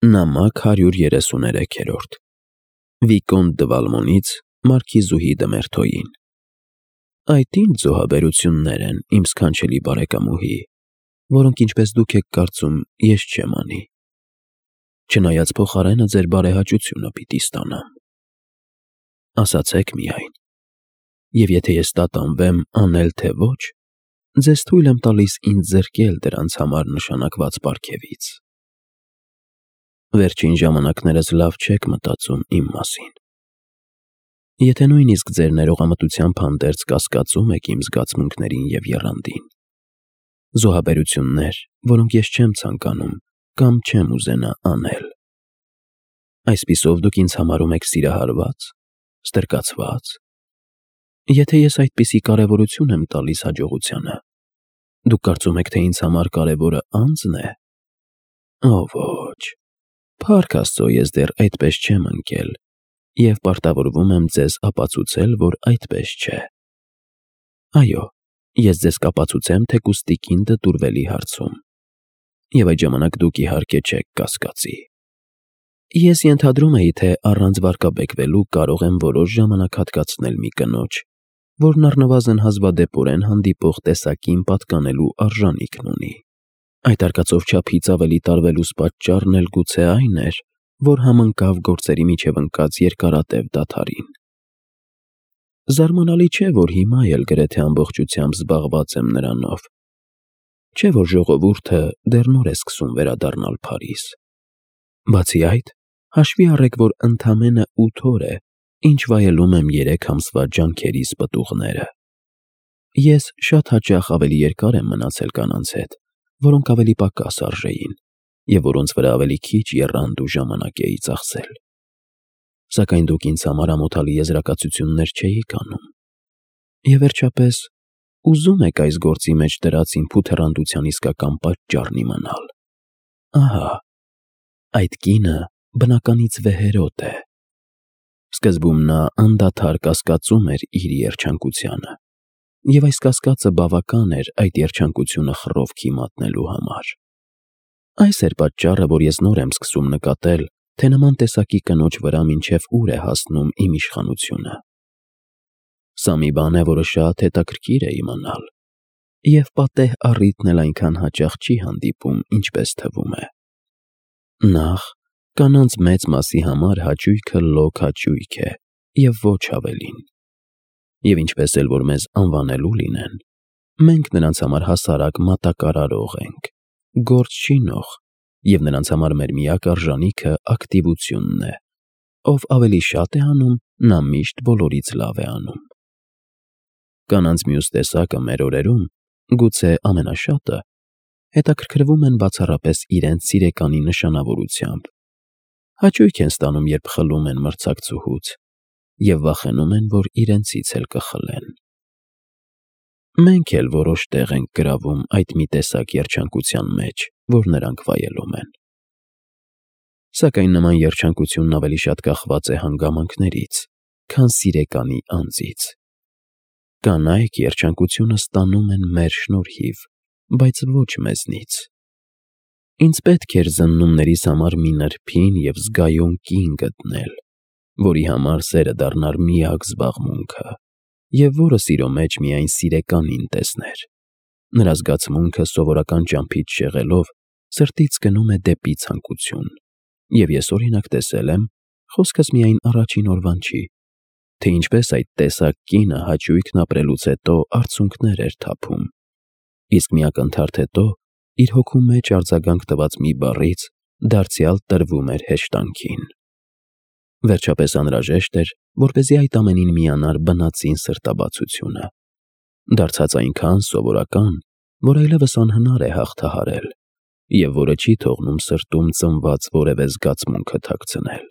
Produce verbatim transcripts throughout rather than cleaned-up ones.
Նամակ հարյուր երեսուներեքերորդ Վիկոնտ դը Վալմոնից Մարքիզուհի դը Մերթոյին Այդ ինչ զոհաբերություններ են, իմ սքանչելի բարեկամուհի, որոնք ինչպես դուք եք կարծում, ես չեմ անի։ Չնայած փոխարենը ձեր բարեհաճությունը պիտի ստանամ։ Ասացեք միայն, և եթե ես տատանվեմ անել թե ոչ, ձեզ թույլ եմ տալիս ինձ զրկել դրանց համար նշանակված պարգևից։ Վերջին ժամանակներս լավ չեք մտածում իմ մասին։ Եթե նույնիսկ ձեր ներողամտությամբ հանդերձ կասկածում եք իմ զգացմունքներին և եռանդին, զոհաբերություններ, որոնք ես չեմ ցանկանում կամ չեմ ուզենա անել։ Այսպիսով դուք ինձ համարում եք սիրահարված, ստրկացված։ Եթե ես այդպիսի կարևորություն եմ տալիս հաջողությանը, դուք կարծում եք, թե ինձ համար կարևորը անձն է։ Օ ոչ, փառք Աստծո, ես դեռ այդպես չեմ ընկել և պարտավորվում եմ ձեզ ապացուցել, որ այդպես չէ։ Այո, ես ձեզ կապացուցեմ թեկուզ տիկին դտուրվելի հարցում, և այդ ժամանակ դուք իհարկե չեք կասկածի։ Ես ենթադրում էի, թե առանց վարկաբեկվելու կարող եմ որոշ ժամանակ հատկացնել մի կնոջ, որն առնվազն հազվադեպորեն հանդիպող տեսակին պատկանելու արժանիքն ունի։ Այդ արկածով չափից ավելի տարվելուս պատճառն էլ գուցե այն էր, որ համընկավ գործերի միջև ընկած երկարատև դադարին։ Զարմանալի չէ, որ հիմա էլ գրեթե ամբողջությամբ զբաղված եմ նրանով։ Չէ՞ որ ժողովուրդը դեռ նոր է սկսում վերադառնալ Փարիզ։ Բացի այդ, հաշվի առեք, որ ընդամենը ութ օր է, ինչ վայելում եմ երեք ամսվա ջանքերիս պտուղները։ Ես շատ հաճախ ավելի երկար եմ մնացել կանանց հետ, որոնք ավելի պակաս արժեին, և որոնց վրա ավելի քիչ եռանդ ու ժամանակ էի ծախսել։ Սակայն դուք ինձ համար ամոթալի եզրակացություններ չէիք անում։ Եվ վերջապես, ուզում եք այս գործի մեջ դրած իմ փութեռանդության իսկական պատճառն իմանալ։ Ահա, այդ կինը բնականից վեհերոտ է։ Սկզբում նա անդադար կասկածում էր իր երջանկությանը, և այս կասկածը բավական էր այդ երջանկությունը խռովքի մատնելու համար։ Այս էր պատճառը, որ ես նոր եմ սկսում նկատել, թե նման տեսակի կնոջ վրա մինչև ուր է հասնում իմ իշխանությունը։ Սա մի բան է, որը շատ հետաքրքիր է իմանալ, և պատեհ առիթն էլ այնքան հաճախ չի հանդիպում, ինչպես թվում է։ Նախ, կանանց մեծ մասի համար հաճույքը լոկ հաճույք է և ոչ ավելին։ Եվ ինչպես էլ որ մեզ անվանելու լինեն, մենք նրանց համար հասարակ մատակարարող ենք, գործ չինող, և նրանց համար մեր միակ արժանիքը ակտիվությունն է, ով ավելի շատ է անում, նա միշտ բոլորից լավ է անում։ Կանանց մյուս տեսակը մեր օրերում, գուցե ամենաշատը, հետաքրքրվում են բացառապես իրենց սիրեկանի նշանավորությամբ, հաճույք են ստանում, երբ խլում են մրցակցուհուց, և վախենում են, որ իրենցից էլ կխլեն։ Մենք էլ որոշ տեղ ենք գրավում այդ մի տեսակ երջանկության մեջ, որ նրանք վայելում են։ Սակայն նման երջանկությունն ավելի շատ կախված է հանգամանքներից, քան սիրեկանի անձից։ Կանայք երջանկությունը ստանում են մեր շնորհիվ, բայց ոչ մեզնից։ Ինձ պետք էր զննումներիս համար մի նրբին և զգայուն կին գտնել, որի համար սերը դառնար միակ զբաղմունքը, և որը սիրո մեջ միայն սիրեկանին տեսներ։ Նրա զգացմունքը սովորական ճամփից շեղելով սրտից գնում է դեպի ցանկություն, և ես օրինակ տեսել եմ, խոսքս միայն առաջին օրվան չի, թե ինչպես այդ տեսակ կինը հաճույքն ապրելուց հետո արցունքներ էր թափում, իսկ մի ակնթարթ հետո իր հոգու մեջ արձագանք տված մի բառից դարձյալ տրվում էր հեշտանքին։ Վերջապես անհրաժեշտ էր, որպեսզի այդ ամենին միանար բնածին սրտաբացությունը, դարձած այնքան սովորական, որ այլևս անհնար է հաղթահարել, և որը չի թողնում սրտում ծնված որևէ զգացմունքը թաքցնել։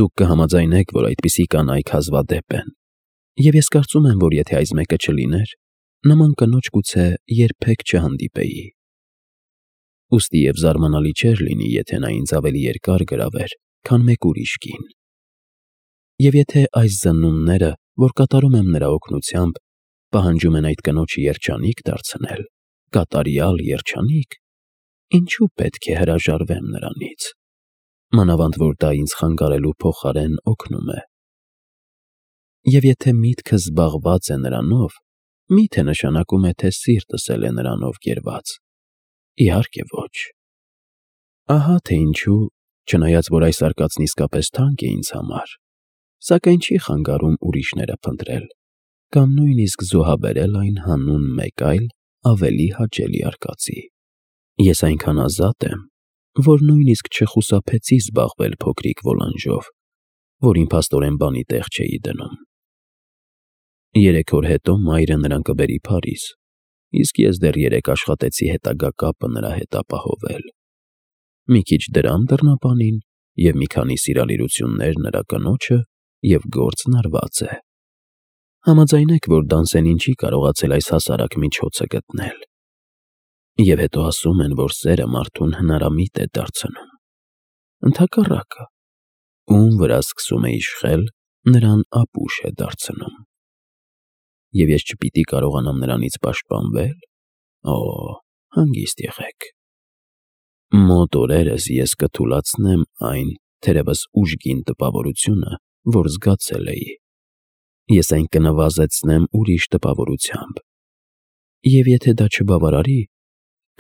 Դուք կհամաձայնեք, որ այդպիսի կանայք հազվադեպ են, և ես կարծում եմ, որ եթե այս մեկը չլիներ, նման կնոջ գուցե երբեք չհանդիպեի։ Ուստի և զարմանալի չէր լինի, եթե նա ինձ ավելի երկար գրավեր, քան մեկ ուրիշ կին։ Եվ եթե այս զննումները, որ կատարում եմ նրա օգնությամբ, պահանջում են այդ կնոջը երջանիկ դարձնել, կատարյալ երջանիկ, ինչու պետք է հրաժարվեմ նրանից, մանավանդ որ դա ինձ խանգարելու փոխարեն օգնում է։ Եվ եթե միտքս զբաղված է նրանով, մի՞թե նշանակում է, թե սիրտս էլ է նրանով գերված։ Իհարկե ոչ։ Ահա թե ինչու, չնայած որ այս արկածն իսկապես թանկ է ինձ համար, սակայն չի խանգարում ուրիշները փնտրել կամ նույնիսկ զոհաբերել այն հանուն մեկ այլ ավելի հաճելի արկածի։ Ես այնքան ազատ եմ, որ նույնիսկ չխուսափեցի զբաղվել փոքրիկ ոլանժով, որին փաստորեն բանի տեղ չէի դնում։ Երեք օր հետո մայրը նրան կբերի Փարիզ, իսկ ես դեռ երեկ աշխատեցի հետագա կապը նրա հետ ապահովել։ Մի քիչ դրամ դռնապանին և մի քանի սիրալիրություններ նրա կնոջը, և գործն արված է։ Համաձայնեք, որ Դանսենին չի կարողացել այս հասարակ միջոցը գտնել։ Եվ հետո ասում են, որ սերը մարդուն հնարամիտ է դարձնում։ Ընդհակառակը, ում վրա սկսում է իշխել, նրան ապուշ է դարձնում։ Եվ ես չպիտի կարողանամ նրանից պաշտպանվե՞լ։ Օ, հանգիստ եղեք։ Մոտ օրերս ես կթուլացնեմ այն, թերևս ուժգին տպավորությունը, որ զգացել էի։ Ես այն կնվազեցնեմ ուրիշ տպավորությամբ։ Եվ եթե դա չբավարարի,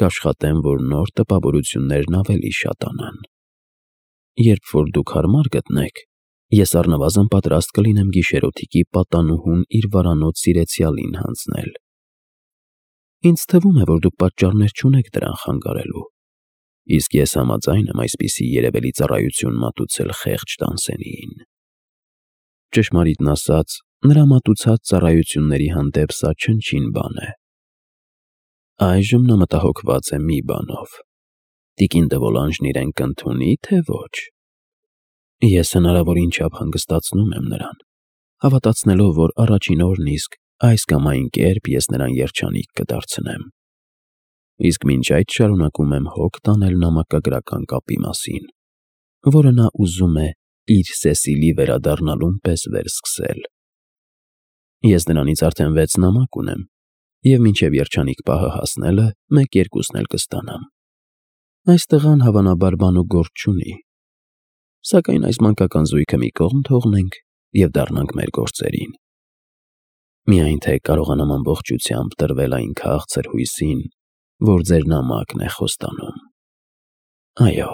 կաշխատեմ, որ նոր տպավորություններն ավելի շատանան։ Երբ որ դուք հարմար գտնեք, ես առնվազն պատրաստ կլինեմ գիշերօթիկի պատանուհուն իր վարանոց սիրեցյալին հանձնել։ Ինձ թվում է, որ դուք պատճառներ չունեք դրան խանգարելու, իսկ ես համաձայն եմ այսպիսի երևելի ծառայություն մատուցել խեղճ Դանսենիին։ Ճշմարիտն ասած, նրա մատուցած ծառայությունների հանդեպ սա չնչին բան է։ Այժմ նա մտահոգված է մի բանով. տիկին դե Վոլանժն իրեն կընդունի, թե ոչ։ Ես հնարավորին չափ հանգստացնում եմ նրան, հավատացնելով, որ առաջին օրն իսկ այս կամ այն կերպ ես նրան երջանիկ կդարձնեմ։ Իսկ մինչ այդ շարունակում եմ հոգ տանել նամակագրական կապի մասին, որը նա ուզում է իր Սեսիլի վերադառնալուն պես վերսկսել։ Ես նրանից արդեն վեց նամակ ունեմ, և մինչև երջանիկ պահը հասնելը մեկ-երկուսն էլ կստանամ։ Այս տղան հավանաբար բան ու գործ չունի, սակայն այս մանկական զույգը մի կողմ թողնենք և դառնանք մեր գործերին։ Միայն թե կարողանամ ամբողջությամբ տրվել այն քաղցր հույսին, որ ձեր նամակն է խոստանում։ Այո,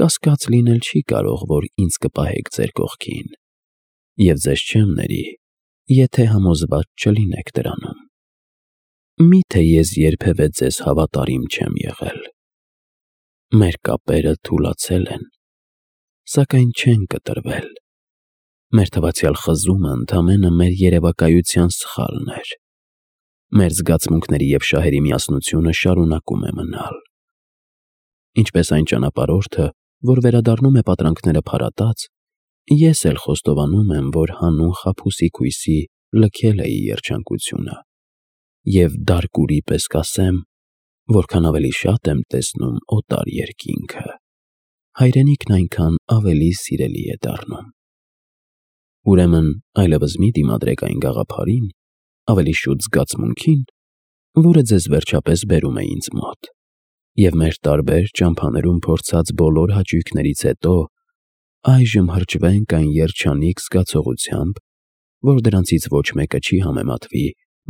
կասկած լինել չի կարող, որ ինձ կպահեք ձեր կողքին, և ձեզ չեմ ների, եթե համոզված չլինեք դրանում։ Մի՞թե ես երբևէ ձեզ հավատարիմ չեմ եղել։ Մեր կապերը թուլացել են, սակայն չեն կտրվել։ Մեր թվացյալ խզումը ընդամենը մեր երևակայության սխալն էր։ Մեր զգացմունքների և շահերի միասնությունը շարունակում է մնալ։ Ինչպես այն ճանապարհորդը, որ վերադառնում է պատրանքները փարատած, ես էլ խոստովանում եմ, որ հանուն խաբուսիկ հույսի լքել էի երջանկությունը, և դարկուրի պես կասեմ, որքան ավելի շատ եմ տեսնում օտար երկինքը, հայրենիքն այնքան ավելի սիրելի է դառնում։ Ուրեմն այլևս մի դիմադրեք այն գաղափարին, ավելի շուտ զգացմունքին, որը ձեզ վերջապես բերում է ինձ մոտ, և մեր տարբեր ճամփաներում փորձած բոլոր հաճույքներից հետո այժմ հրճվենք այն երջանիկ զգացողությամբ, որ դրանցից ոչ մեկը չի համեմատվի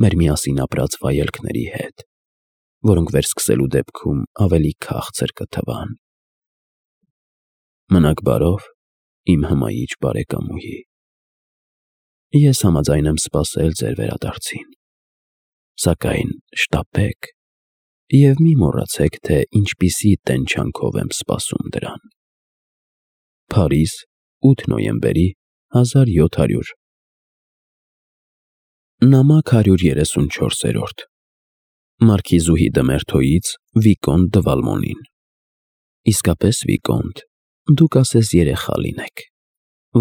մեր միասին ապրած վայելքների հետ, որոնք վերսկսելու դեպքում ավելի քաղցր կթվան։ Մնաք բարով, իմ հմայիչ բարեկամուհի։ Ես համաձայն եմ սպասել ձեր վերադարձին, սակայն շտապեք և մի մոռացեք, թե ինչպիսի տենչանքով եմ սպասում դրան։ Փարիզ, ութ նոյեմբերի հազար յոթ հարյուր։ Նամակ հարյուր երեսունչորսերորդ Մարքիզուհի դը Մերթոյից Վիկոնտ դը Վալմոնին։ Իսկապես, Վիկոնտ, դուք ասես երեխա լինեք,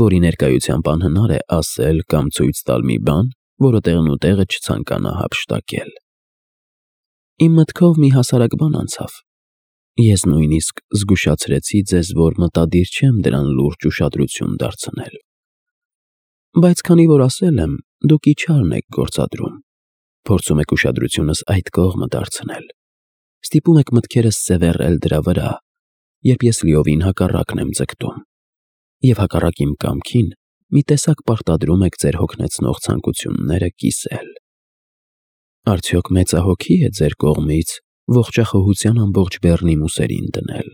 որի ներկայությամբ անհնար է ասել կամ ցույց տալ մի բան, որը տեղնուտեղը չցանկանա հափշտակել։ Իմ մտքով մի հասարակ բան անցավ։ Ես նույնիսկ զգուշացրեցի ձեզ, որ մտադիր չեմ դրան լուրջ ուշադրություն դարձնել։ Բայց քանի որ ասել եմ, դուք իչարն եք գործադրում, փորձում եք ուշադրությունս այդ կողմը դարձնել։ Ստիպում եք մտքերս սևեռել դրա վրա, երբ ես լիովին հակառակն եմ ձգտում, և հակառակ իմ կամքին մի տեսակ պարտադրում եք ձեր հոգնեցնող ցանկությունները կիսել։ Արդյոք մեծահոգի է ձեր կողմից ողջախոհության ամբողջ բեռնի ուսերին դնել։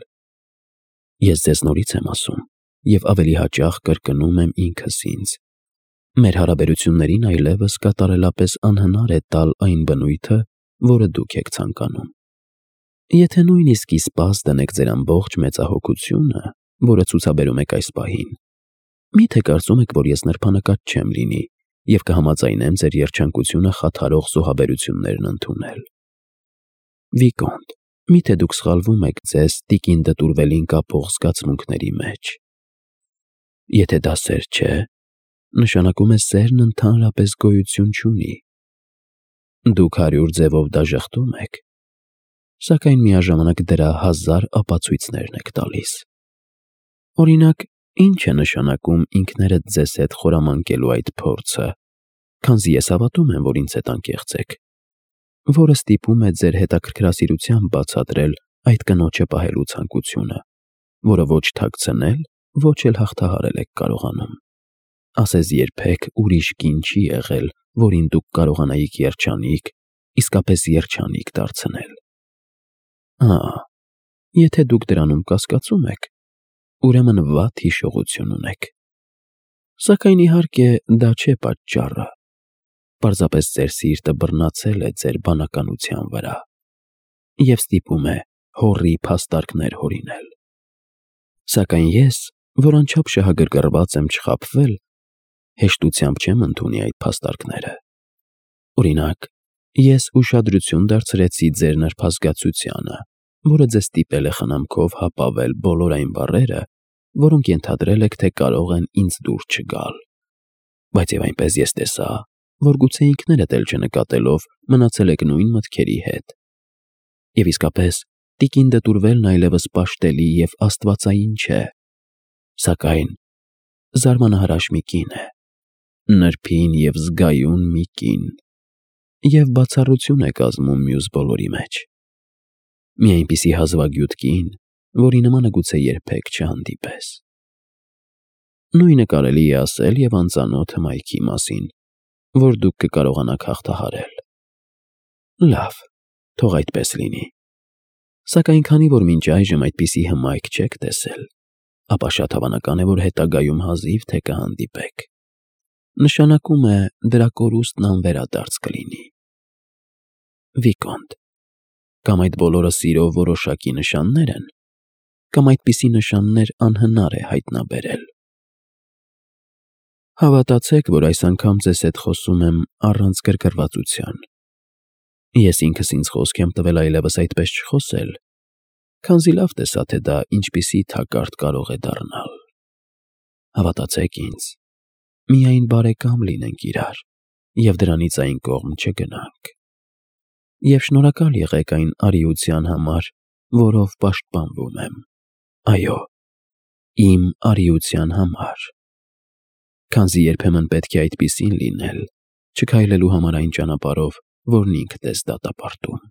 Ես ձեզ նորից եմ ասում, և ավելի հաճախ կրկնում եմ ինքս ինձ. մեր հարաբերություններին այլևս կատարելապես անհնար է տալ այն բնույթը, որը դուք եք ցանկանում։ Եթե նույնիսկ ի սպաս դնեք ձեր ամբողջ մեծահոգությունը, որը ցուցաբերում եք այս պահին, մի՞թե կարծում եք, որ ես նրբանկատ չեմ լինի և կհամաձայնեմ ձեր երջանկությունը խաթարող զոհաբերություններն ընդունել։ Վիկոնտ, մի՞թե դուք սխալվում եք ձեզ տիկին դտուրվելին կապող զգացմունքների մեջ։ Եթե դա սեր չէ, նշանակում է սերն ընդհանրապես գոյություն չունի։ Դուք հարյուր ձևով դաժխտում եք, սակայն միաժամանակ դրա հազար ապացույցներն եք տալիս։ Օրինակ, ի՞նչ է նշանակում ինքներդ ձեզ հետ խորամանկելու այդ փորձը, քանզի ես հավատում եմ, որ ինձ հետ անկեղծ եք, որը ստիպում է ձեր հետաքրքրասիրությամբ բացատրել այդ կնոջը պահելու ցանկությունը, որը ոչ թաքցնել, ոչ էլ հաղթահարել եք կարողանում։ Ասես երբեք ուրիշ կին չի եղել, որին դուք կարողանայիք երջանիկ, իսկապես երջանիկ դարձնել։ Ահա, եթե դուք դրանում կասկածում եք, ուրեմն վատ հիշողություն ունեք։ Սակայն իհարկե դա չէ պատճառը, պարզապես ձեր սիրտը բռնացել է ձեր բանականության վրա և ստիպում է հոռի փաստարկներ հորինել։ Սակայն ես, որ անչափ շահագրգռված եմ չխաբվել, հեշտությամբ չեմ ընդունի այդ փաստարկները։ Օրինակ, ես ուշադրություն դարձրեցի ձեր նրբազգացությանը, որը ձեզ ստիպել է խնամքով հապավել բոլոր այն բառերը, որոնք ենթադրել եք, թե կարող են ինձ դուր չգալ։ Բայց և այնպես ես տեսա, որ գուցե ինքներդ էլ չնկատելով մնացել եք նույն մտքերի հետ։ Եվ իսկապես, տիկին դտուրվելն այլևս պաշտելի և աստվածային չէ, սակայն զարմանահրաշ մի կին է, նրբին և զգայուն մի կին, և բացառություն է կազմում մյուս բոլորի մեջ։ Մի այնպիսի հազվագյուտ կին, որի նմանը գուցե երբեք չհանդիպես։ Նույնը կարելի է ասել և անծանոթ հմայքի մասին, որ դուք կկարողանաք հաղթահարել։ Լավ, թող այդպես լինի։ Սակայն քանի որ մինչ այժմ այդպիսի հմայք չեք տեսել, ապա շատ հավանական է, որ հետագայում հազիվ թե կհանդիպեք։ Նշանակում է դրա կորուստն անվերադարձ կլինի։ Վիկոնտ, կամ այդ բոլորը սիրո որոշակի նշաններ են, կամ այդպիսի նշաններ անհնար է հայտնաբերել։ Հավատացեք, որ այս անգամ ձեզ հետ խոսում եմ առանց գրգռվածության։ Ես ինքս ինձ խոսք եմ տվել այլևս այդպես չխոսել, քանզի լավ տեսա, թե դա ինչպիսի թակարդ կարող է դառնալ։ Հավատացեք ինձ, միայն բարեկամ լինենք իրար և դրանից այն կողմ չգնանք։ Եվ շնորհակալ եղեք այն արիության համար, որով պաշտպանվում եմ։ Այո, իմ արիության համար, քանզի երբեմն պետք է այդպիսին լինել, չքայլելու համար այն ճանապարհով, որն ինքդ ես դատապարտում։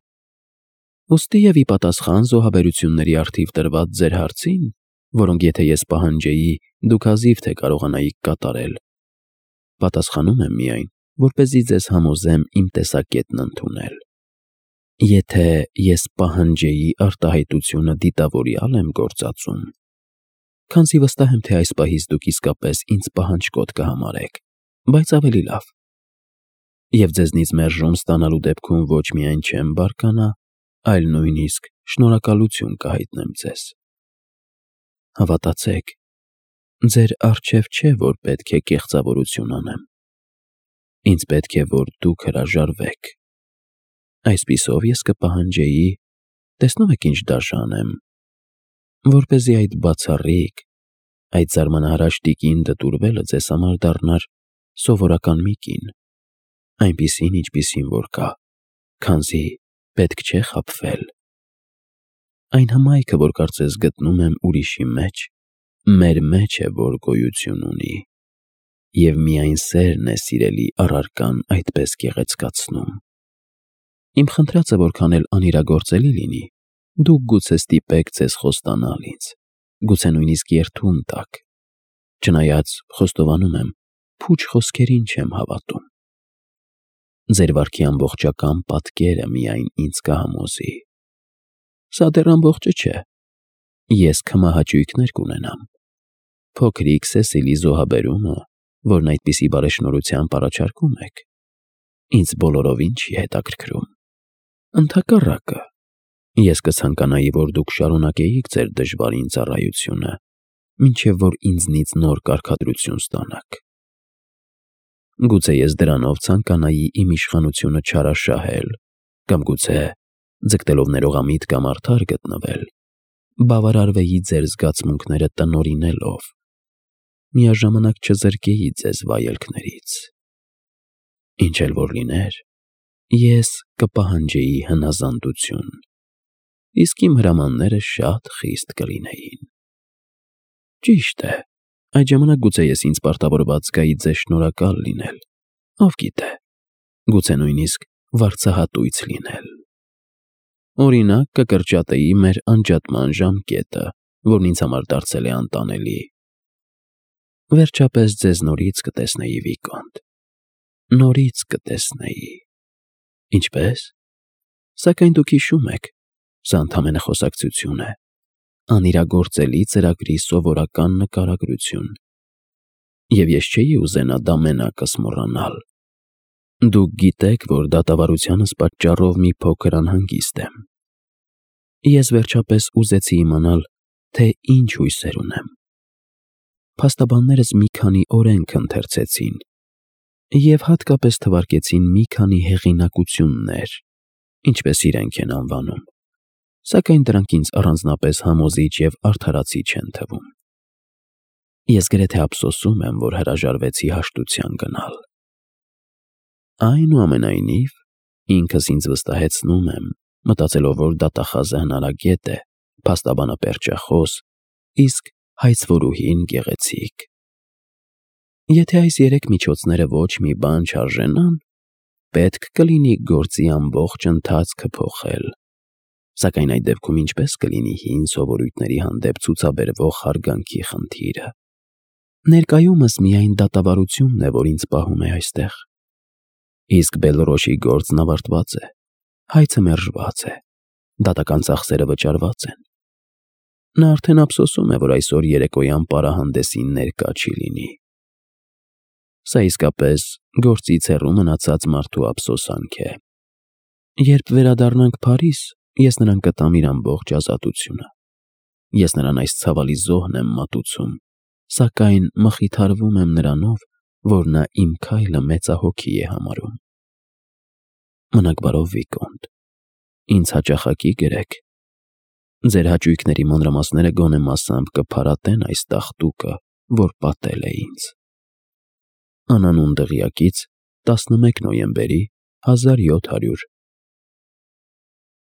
Ուստի և ի պատասխան զոհաբերությունների առթիվ տրված ձեր հարցին, որոնք եթե ես պահանջեի, դուք հազիվ թե կարողանայիք կատարել, պատասխանում եմ միայն, որպեսզի ձեզ համոզեմ իմ տեսակետն ընդունել։ Եթե ես պահանջեի արտահայտությունը դիտավորյալ եմ գործածում, քանզի վստահ եմ, թե այս պահից դուք իսկապես ինձ պահանջկոտ կհամարեք, բայց ավելի լավ։ Եվ ձեզնից մերժում ստանալու դեպքում ոչ միայն չեմ բարկանա, այլ նույնիսկ շնորհակալություն կհայտնեմ ձեզ։ Հավատացեք, ձեր առջև չէ, որ պետք է կեղծավորություն անեմ։ Ինձ պետք է, որ դուք հրաժարվեք։ Այսպիսով ես կպահանջեի, տեսնում եք ինչ դաժան եմ, որպեսզի այդ բացառիկ, այդ զարմանահրաշ տիկին դտուրվելը ձեզ համար դառնար սովորական մի կին, այնպիսին, ինչպիսին որ կա, քանզի պետք չէ խաբվել։ Այն հմայքը, որ կարծես գտնում եմ ուրիշի մեջ, մեր մեջ է, որ գոյություն ունի, և միայն սերն է սիրելի առարկան այդպես գեղեցկացնում։ Իմ խնդրածը որքան էլ անիրագործելի լինի, դուք գուցե ստիպեք ձեզ խոստանալ ինձ, գուցե նույնիսկ երդում տաք, չնայած խոստովանում եմ, փուչ խոսքերին չեմ հավատում։ Ձեր վարքի ամբողջական պատկերը միայն ինձ կհամոզի։ Սա դեռ ամբողջը չէ։ Ես քմահաճույքներ կունենամ։ Փոքրիկ Սեսիլի զոհաբերումը, որն այդպիսի բարեշնորհությամբ առաջարկում եք, ինձ բոլորովին չի հետաքրքրում։ Ընդհակառակը, ես կցանկանայի, որ դուք շարունակեիք ձեր դժվարին ծառայությունը, մինչև որ ինձնից նոր կարգադրություն ստանաք։ Գուցե ես դրանով ցանկանայի իմ իշխանությունը չարաշահել, կամ գուցե, ձգտելով ներողամիտ կամ արդար գտնվել, բավարարվեի ձեր զգացմունքները տնօրինելով, միաժամանակ չզրկեի ձեզ վայելքներից։ Ինչ էլ որ լիներ, ես կպահանջեի հնազանդություն, իսկ իմ հրամանները շատ խիստ կլինեին։ Ճիշտ է, այդ ժամանակ գուցե ես ինձ պարտավորված զգայի ձեզ շնորհակալ լինել, ով գիտե, գուցե նույնիսկ վարձահատույց լինել։ Օրինակ, կկրճատեի մեր անջատման ժամկետը, որն ինձ համար դարձել է անտանելի։ Վերջապես ձեզ նորից կտեսնեի, Վիկոնտ, նորից կտեսնեի։ Ինչպե՞ս։ Սակայն դուք հիշում եք, սա ընդամենը խոսակցություն է, անիրագործելի ծրագրի սովորական նկարագրություն, և ես չէի ուզենա դա մենակս մոռանալ։ Դուք գիտեք, որ դատավարությանս պատճառով մի փոքր անհանգիստ եմ։ Ես վերջապես ուզեցի իմանալ, թե ինչ հույսեր ունեմ։ Փաստաբաններս մի քանի օրենք ընթերցեցին և հատկապես թվարկեցին մի քանի հեղինակություններ, ինչպես իրենք են անվանում, սակայն դրանք ինձ առանձնապես համոզիչ և արդարացիչ չեն թվում։ Ես գրեթե ափսոսում եմ, որ հրաժարվեցի հաշտության գնալ։ Այնուամենայնիվ, ինքս ինձ վստահեցնում եմ, մտածելով, որ դատախազը հնարագետ է, փաստաբանը պերճախոս, իսկ հայցվորուհին գեղեցիկ։ Եթե այս երեք միջոցները ոչ մի բան չարժենան, պետք կլինի գործի ամբողջ ընթացքը փոխել, սակայն այդ դեպքում ինչպե՞ս կլինի հին սովորույթների հանդեպ ցուցաբերվող հարգանքի խնդիրը։ Ներկայումս միայն դատավարությունն է, որ ինձ պահում է այստեղ, իսկ Բելրոշի գործն ավարտված է, հայցը մերժված է, դատական ծախսերը վճարված են։ Նա արդեն ափսոսում է, որ այսօր երեկոյան պարահանդեսին ներկա չի լինի։ Սա իսկապես գործից հեռու մնացած մարդու ափսոսանք է։ Երբ վերադառնանք Փարիզ, ես նրան կտամ իր ամբողջ ազատությունը։ Ես նրան այս ցավալի զոհն եմ մատուցում, սակայն մխիթարվում եմ նրանով, որ նա իմ քայլը մեծահոգի է համարում։ Մնաք բարով, Վիկոնտ, ինձ հաճախակի գրեք։ Ձեր հաճույքների մանրամասները գոնե մասամբ կփարատեն այս տաղտուկը, որ պատել է ինձ։ Անանուն դղյակից տասնմեկ նոյեմբերի հազար յոթ հարյուր